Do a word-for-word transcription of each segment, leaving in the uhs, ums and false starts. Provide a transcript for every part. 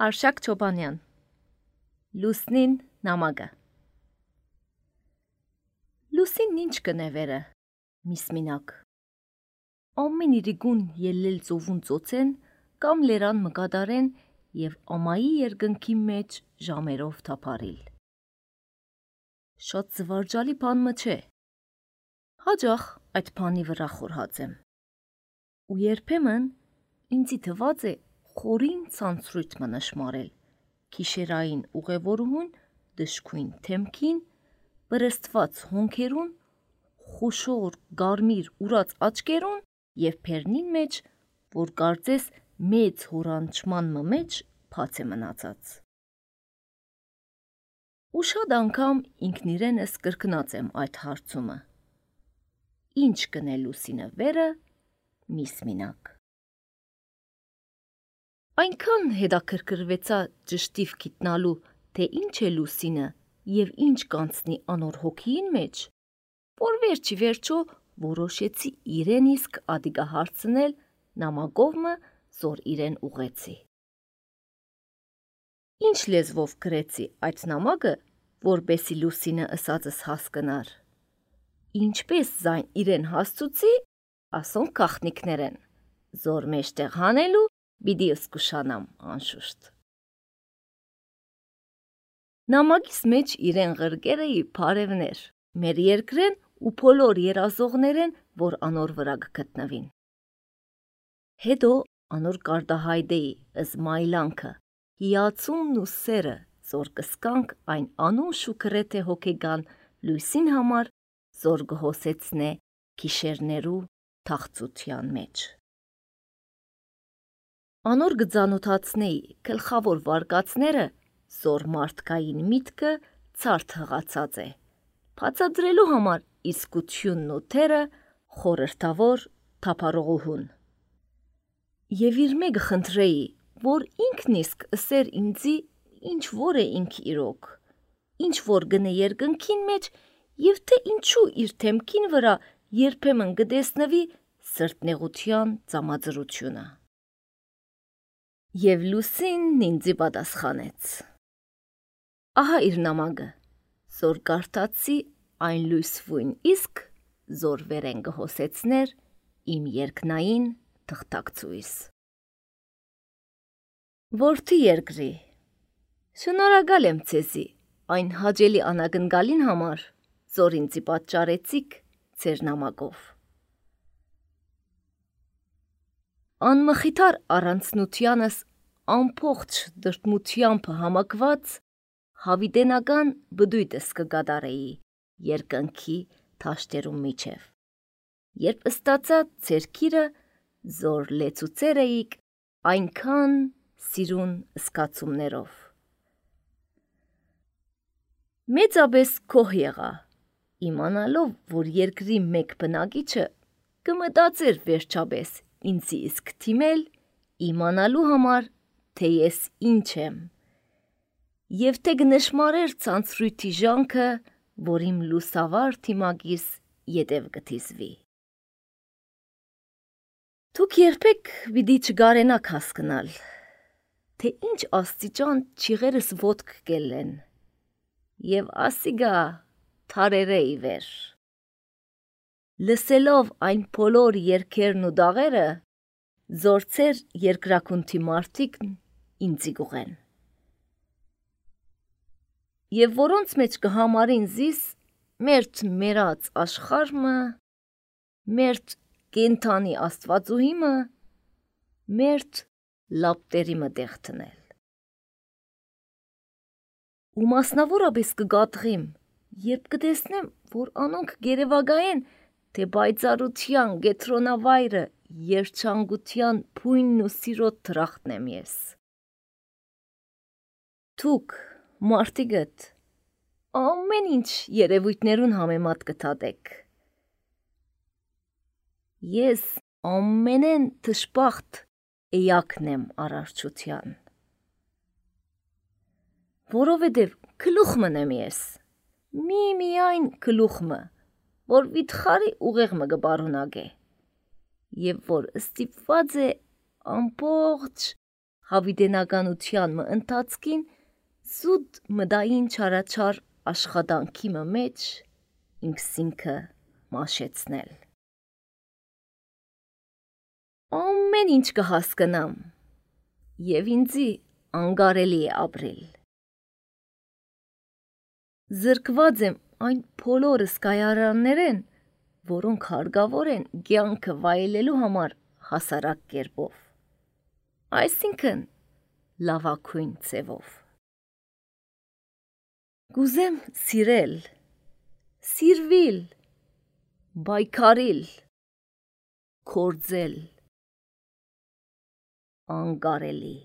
Արշակ Չոբանյան Լուսնին նամակը Լուսին ինչ կնևերը միսմինակ Ամեն իրիգուն ելլել ծովուն ծոցեն կամ լերան մկադարեն և ամայի երգնքի մեջ ժամերով թափարիլ Շատ զվարջալի բան մը չէ Հաջախ այդ բանի վրա խորհած եմ ու երբեմն ինձի թված է խորին ցանցրույթ մը նշմարել, քիշերային ուղևորուհուն դժքույն թեմքին, բրստված հոնքերուն, խուշոր գարմիր ուրած աչկերուն և պերնին մեջ, որ կարծես մեծ հորանչման մը մեջ փաց է մնացած։ Ու շատ անգամ ինքն իրենս կրկնած եմ այդ հարցումը։ Ինչ կնե Լուսինը վերը, միսմինակ։ Այնքան հետաքրքրվեցա ճշտիվ գիտնալու, թե ինչ է Լուսինը և ինչ կանցնի անոր հոգիին մեջ, որ վերջի վերջո որոշեցի իրեն իսկ ադիգա հարցնել նամակով մը, զոր իրեն ուղեցի։ Ինչ լեզվով գրեցի այդ նամակը, որպեսի Լուսինը ըսածս հասկնար։ Ինչպես զայն իրեն հասցուցի, ասոնք կախնիկներեն, զոր մեջտեղ հանելու Բիդի ըսկուշանամ անշուշտ։ Նամակիս մեջ իրեն ղրգերը ի բարևներ, մեր երկրեն ու բոլոր երազողներեն, որ անոր վրա գտնվին։ Հետո անոր կարդահայդեի ըզմայլանքը, հիացումն ու սերը, զոր կսկանք այն անուշ ու գրեթե հոգեգան լույսին համար, զոր գհոսեցնե քիշերներու թախծության մեջ։ Անոր գծանոթացնեի գլխավոր վարկածները, զոր մարդկային միտքը ցարդ հղացած է, բացադրելու համար իսկությունն ու թերը խորհրդավոր թափառողուհուն։ Եվ իր մեկը խնդրեի, որ ինքն իսկ ըսեր ինձի, ինչ որ է ինք իրոք, ինչ որ գնե երկնքին մեջ և թե ինչու իր թեմքին վրա երբեմն գտեսնվի սրտնեղության ծամածրությունը։ Եվ Լուսինն ինձի պատասխանեց. Ահա իր նամակը, զոր կարդացի այն լույսվույն իսկ, զոր վերեն գհոսեցներ իմ երկնային թղթակցուիս։ Որդի երկրի, շնորհակալ եմ ձեզի այն հաճելի անագնգալին համար, զոր ինձի պատճառեցիք ձեր նամակով։ Անմխիթար առանցնությանս ամբողջ դրդմությամբ համակված հավիտենական բդույթս կգադարեի երկնքի թաշտերու միջև, երբ ստացա ձեր քիրը, զոր լեցուցեր էիք այնքան սիրուն զգացումներով։ Մեծապես գոհ եղա, իմանալով, որ երկրի մեկ բնակիչը կմտածեր վերջապես ինձի իսկ թիմել, իմանալու համար, թե ես ինչ եմ, և թե գնշմարեր ցանցրույթի ժանքը, որ իմ լուսավար թիմակիս ետև կթիզվի։ Դուք երբեք պիտի չգարենաք հասկնալ, թե ինչ աստիճան չիղերս ոտք կելեն, և ասիգա թարերը ի վեր։ Լսելով այն բոլոր երգերն ու դաղերը, զոր ձեր երկրաքունթի մարդիկն ինձի գուղեն։ Եվ որոնց մեջ կհամարին զիս մերթ մերած աշխարհը, մերթ կենթանի աստվածուհիմը, մերթ լապտերի մտեղ տնել։ Ու մասնավորապես կգատղիմ, երբ կտեսնեմ, որ անոնք գերևագայեն, թե բայծարության գետրոնավայրը երջանկության փույնն ու սիրո թրախտն եմ ես։ Դուք, մարդիկդ, ամեն ինչ երևույթներուն համեմատ կթատեք։ Ես ամենեն թշպախտ էակն եմ արարչության։ Որովհետև գլուխմն եմ ես, մի միայն գլուխմը, որ վիթխարի ուղեղը կբարունակե, և որ ստիպված է ամբողջ հավիդենականության մը ընթացքին զուտ մդային չարաչար աշխատանքի մը մեջ ինքսինքը մաշեցնել։ Ամեն ինչ կհասկնամ և ինձի անգարելի է ապրել։ Զրկված եմ այն բոլորը սկայարաններեն, որոնք հարգավոր են կյանքը վայելելու համար հասարակ կերպով, այսինքն լավագույն ձևով։ Կուզեմ սիրել, սիրվիլ, պայքարիլ, քործել, անգարելի։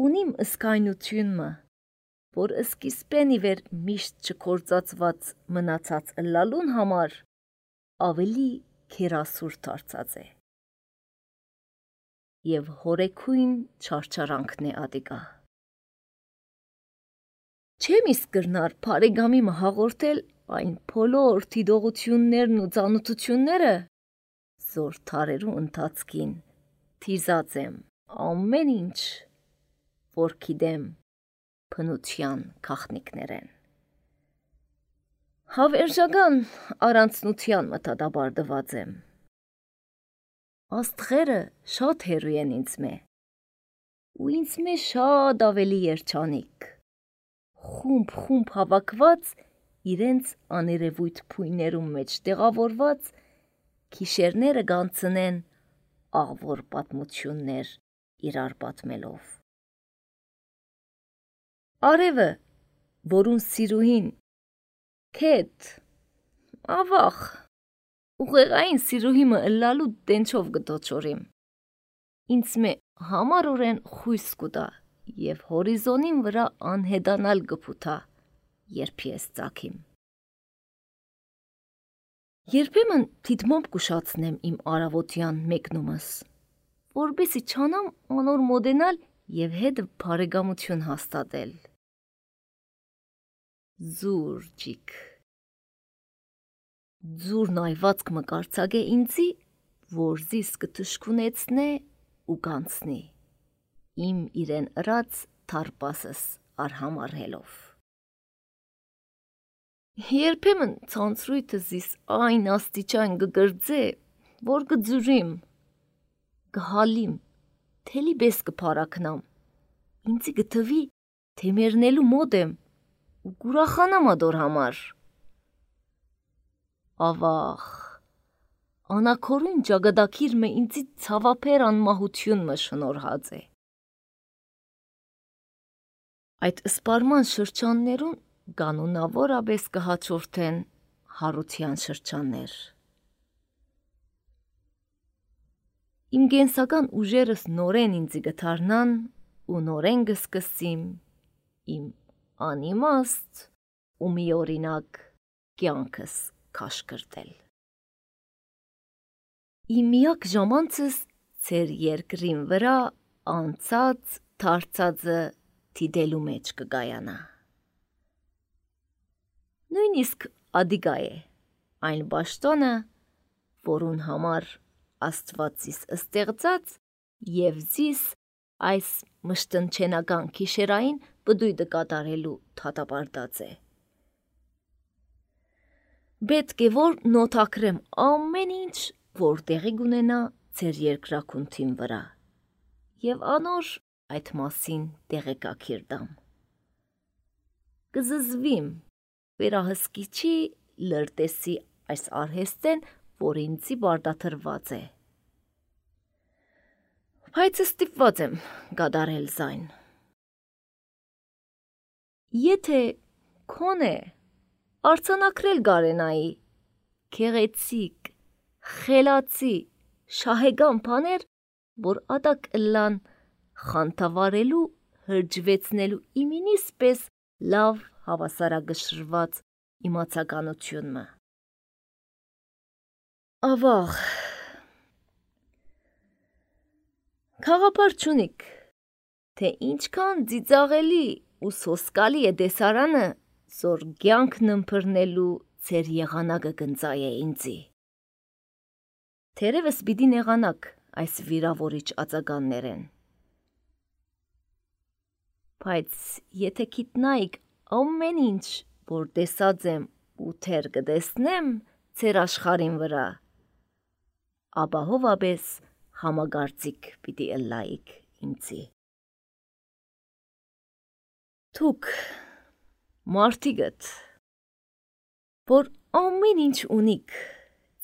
Ունիմ ըսկայնությունը, որ սկիզբեն ի վեր միշտ չքործածված մնացած ըլլալուն համար ավելի քերասուր դարձած է և հորեքույն չարչարանքն է ադիգա։ Չեմ իսկ կրնար բարեկամի մը հաղորդել այն բոլոր դիտողություններն ու ծանոթությունները, զոր թարերու ընթացքին թիզած եմ ամեն ինչ, որ գիտեմ բնության գաղտնիքներեն։ Հավերժական առանձնության մը դատապարտված եմ։ Աստղերը շատ հեռու են ինձ մե, ու ինձ մե շատ ավելի երջանիկ, խումբ-խումբ հավաքված իրենց աներևույթ փույներում մեջ տեղավորված գիշերները կանցնեն աղվոր պատմություններ իրար պատմելով։ Արևը, որուն սիրուհին քեթ, ավախ, ուղեղային սիրուհի մը ըլլալու դենչով գտոչորիմ, ինձ մե համարորեն խույս կուտա և հորիզոնին վրա անհետանալ գպութա, երբ ես ծագիմ։ Երբեմն դիտմամբ կուշացնեմ իմ արավոտյան մեկնումս, որպեսի չանամ անոր մոդենալ և հետ բարեկամություն հաստատել։ Ձուր ջիկ, ձուրն այվածք մը կարծագե ինձի, որ զիս կթշկունեցնե ու կանցնի, իմ իրեն ըրած թարպասս արհամարհելով։ Երբեմն ցանցրույթը զիս այն աստիճան կգրձե, որ կձուրիմ, կհալիմ, թելի բես կփարակնամ, ինձի գտվի, թե մերնելու մոտ եմ ու կուրախանամ ադոր համար։ Ավախ, անակորույն ճագադակիր մը ինձի ցավափեր անմահություն մը շնորհած է։ Այդ սպարման շրջաններուն կանոնավորապես կհաջորդեն հարության շրջաններ։ Իմ գենսական ուժերս նորեն ինձի գթարնան ու նորեն կսկսիմ իմ անիմաստ ու միօրինակ կյանքս քաշքրտել։ Իմ միակ ժամանցս ձեր երկրին վրա անցած դարձածը դիտելու մեջ կգայանա։ Նույնիսկ ադիգա է այն պաշտոնը, որուն համար Աստված զիս ստեղծած և զիս այս մշտնչենական գիշերային բդույթը կատարելու դատապարտած է։ Պետք է որ նոթակրեմ ամեն ինչ, որ տեղի կունենա ձեր երկրաքունթին վրա, և անոր այդ մասին տեղեկակիր տամ։ Կզզվիմ վերահսկիչի լրտեսի այս արհեստեն, որ ինձի բարդաթրված է։ Բայց ստիպված եմ կատարել զայն։ Եթե քոնե արձանագրել գարենայի գեղեցիկ, խելացի, շահեգան բաներ, որ ատա կըլլան խանթավարելու, հրջվեցնելու իմինիս պես լավ հավասարակշռված իմացականություն մը։ Ավաղ, քաղաքապար չունիք, թե ինչքան ծիծաղելի ու սոսկալի է դեսարանը, զոր կյանքն ըմբռնելու ձեր եղանակը կընծայ է ինձի։ Թերևս պիտի նեղանաք այս վիրավորիչ ածականներեն։ Բայց եթե գիտնայիք ամեն ինչ, որ տեսած եմ ու թեր կտեսնեմ ձեր աշխարհին վրա, ապա հովաբես համագործիկ պիտի ըլլայիք ինձի։ Դուք մարդիկդ, որ ամեն ինչ ունիք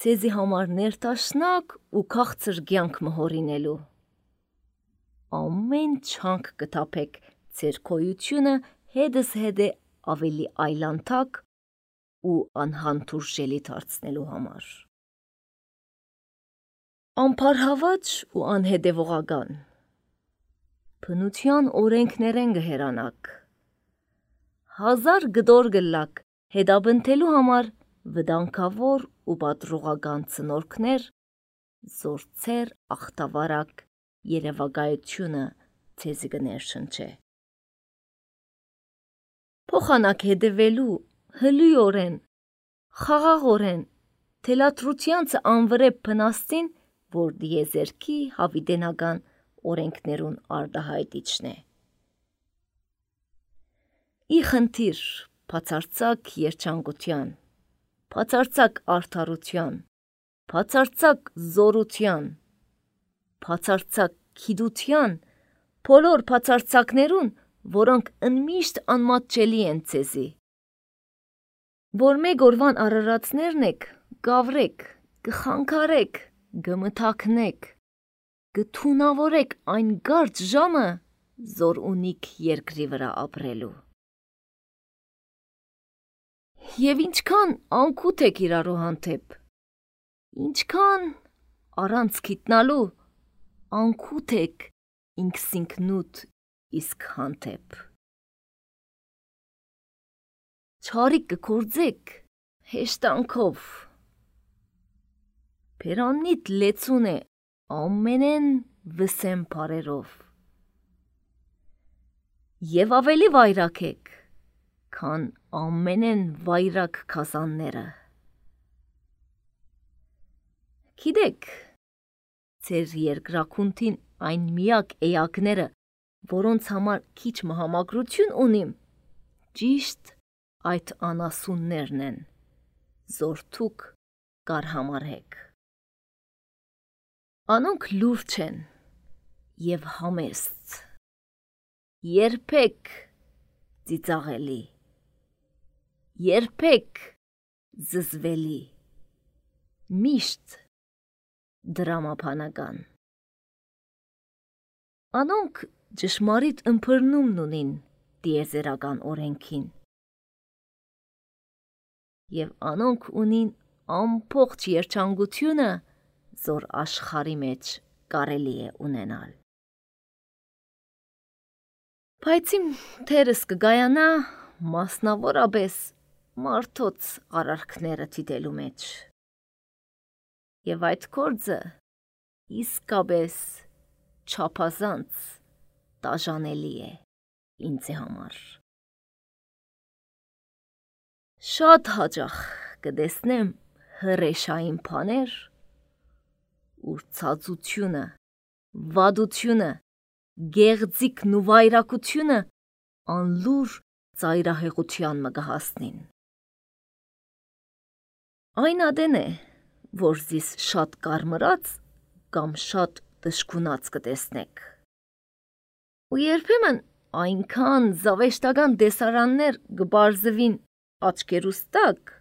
ձեզի համար ներտաշնակ ու քաղցր կյանք մհորինելու, ամեն չանք կթափեք ձեր քոյությունը հետս հետ է ավելի այլանդակ ու անհանդուրժելի դարձնելու համար։ Անփարհավաճ ու անհետևողական, բնության օրենքներեն գհերանաք, հազար գդոր գլակ հետաբնթելու համար վտանգավոր ու պատրողական ծնորքներ, զորցեր ախտավարակ երևակայությունը ձեզի կներշնչե։ Փոխանակ հետևելու հլույորեն, խաղաղորեն, թելադրությանցը անվրեպ փնաստին, որ դիեզերքի հավիտենական օրենքներուն արդահայտիչն է։ Ի խնդիր բացարձակ երջանկության, բացարձակ արդարության, բացարձակ զորության, բացարձակ գիտության, բոլոր բացարձակներուն, որոնք ընդմիշտ անմատչելի են ձեզի, որ մեկ օրվան արարածներն եք, գավրեք, կխանգարեք, գմթակնեք, գթունավորեք այն կարճ ժամը, զոր ունիք երկրի վրա ապրելու։ Եվ ինչքան անկութ եք իրարու հանդեպ, ինչքան առանց գիտնալու անկութ եք ինքսինքնուդ իսկ հանդեպ։ Չարիք կգործեք հեշտանքով, բերաննիդ լեցուն է ամենեն վսեմ բարերով, և ավելի վայրակ եք, քան ամենեն վայրակ քասանները։ Գիտեք, ձեր երկրաքունթին այն միակ էակները, որոնց համար քիչ մհամագրություն ունիմ, ճիշտ այդ անասուններն են, զորթուք կար համարհեք։ Անոնք լուրջ են և համեստ, երբեք ծիծաղելի, երբեք զզվելի, միշտ դրամապանական։ Անոնք ճշմարիտ ըմբռնումն ունին տիեզերական օրենքին, և անոնք ունին ամբողջ երջանկությունը, զոր աշխարի մեջ կարելի է ունենալ։ Բայց իմ թերս կգայանա մասնավորապես մարդոց արարքները դիտելու մեջ, և այդ գործը իսկապես չափազանց տաժանելի է ինձի համար։ Շատ հաճախ կտեսնեմ հրեշային բաներ, ուր ցածությունը, վատությունը, գեղձիկն ու վայրակությունը անլուր ծայրահեղության մը կհասնին։ Այն ադեն է, որ զիս շատ կարմրած կամ շատ դժգունած կտեսնեք, ու երբեմն այնքան զավեշտական տեսարաններ կբարձվին աչքերուս տակ,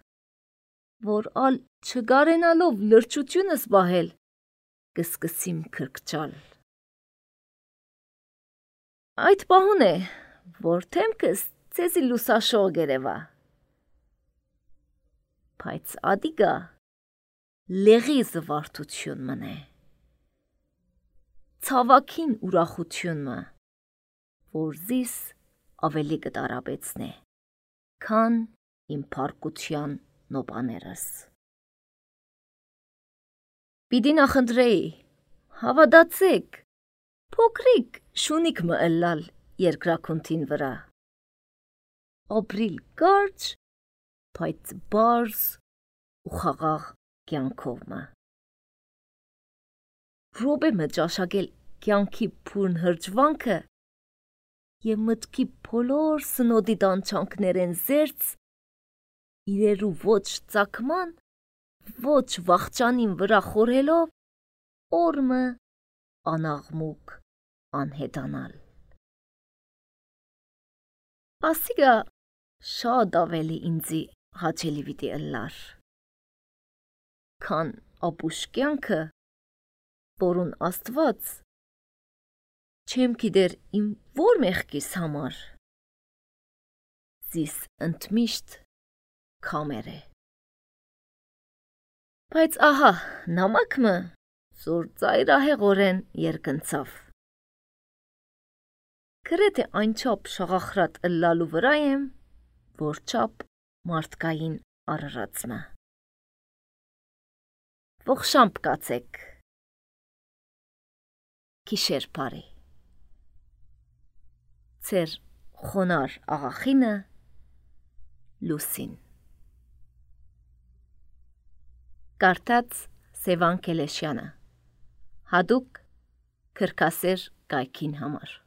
որ ալ չգարենալով լրջությունս բահել, կսկսիմ քրքչալ։ Այդ պահուն է, որ թեմքս ձեզի լուսաշող գերևա, բայց ադիգա լեղի զվարթություն մնե, ցավակին ուրախություն մը, որ զիս ավելի կտարապեցնե, քան իմ փառկության նոպաներս։ Պիտի նախընտրեի, հավատացեք, փոքրիկ շունիկ մը ըլլալ երկրաքունթին վրա, ապրիլ կարճ, բայց բարձ ու խաղաղ կյանքով մը։ ռոբե ճաշակել կյանքի փուրն հրճվանքը և մտքի բոլոր սնոդի տանչանքներեն զերծ, իրերու ոչ ծակման, ոչ վախճանին վրա խորհելով, օրմը անաղմուկ անհետանալ։ Ասիգա շատ ավելի ինձի հաճելի վիտի ըլլար, քան ապուշ կյանքը, որուն Աստված չեմ գիտեր իմ որ մեղքիս համար զիս ընդմիշտ քամեր է։ Բայց ահա նամակը զոր ծայրահեղորեն երկնցավ։ Գրեթե այնչափ շաղախրատ ըլլալու վրա եմ, որ չափ մարդկային արարածմը։ Ողշամփ կացեք։ Գիշեր բարի։ Ձեր խոնար աղախինը Լուսին։ Կարդաց Սևան Կելեշյանը։ Հատուկ քրքասեր կայքին համար։